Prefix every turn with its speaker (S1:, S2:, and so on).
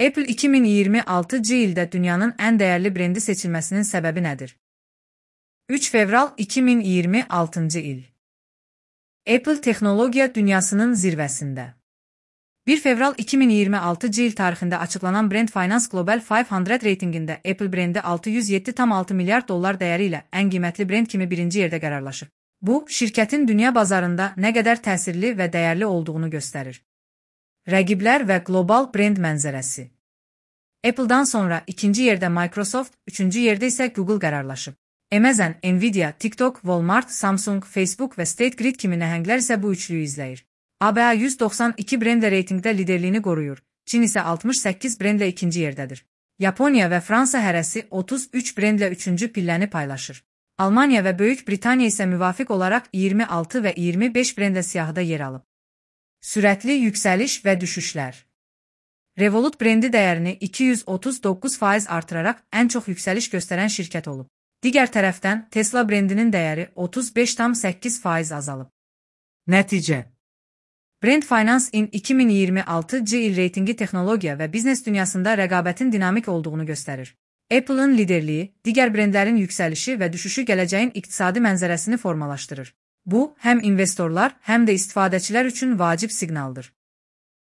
S1: Apple 2026 ildə dünyanın ən dəyərli brendi seçilməsinin səbəbi nədir? 3 fevral 2026 il. Apple texnologiya dünyasının zirvəsində. 1 fevral 2026 il tarixində açıqlanan Brand Finance Global 500 reytinqində Apple brendi $607,6 milyard dəyəri ilə ən qiymətli brend kimi birinci yerdə qərarlaşır. Bu, şirkətin dünya bazarında nə qədər təsirli və dəyərli olduğunu göstərir. Rəqiblər və qlobal brend mənzərəsi. Apple-dan sonra ikinci yerdə Microsoft, üçüncü yerdə isə Google qərarlaşıb. Amazon, Nvidia, TikTok, Walmart, Samsung, Facebook və State Grid kimi nəhənglər isə bu üçlüyü izləyir. ABA 192 brendlə reytingdə liderliyini qoruyur, Çin isə 68 brendlə ikinci yerdədir. Yaponiya və Fransa hərəsi 33 brendlə üçüncü pilləni paylaşır. Almaniya və Böyük Britaniya isə müvafiq olaraq 26 və 25 brendlə siyahıda yer alıb. Sürətli yüksəliş və düşüşlər. Revolut brendi dəyərini 239% artıraraq ən çox yüksəliş göstərən şirkət olub. Digər tərəfdən Tesla brendinin dəyəri 35,8% azalıb. Nəticə. Brand Finance in 2026 il reytingi texnologiya və biznes dünyasında rəqabətin dinamik olduğunu göstərir. Apple-ın liderliyi, digər brendlərin yüksəlişi və düşüşü gələcəyin iqtisadi mənzərəsini formalaşdırır. Bu, həm investorlar, həm də istifadəçilər üçün vacib siqnaldır.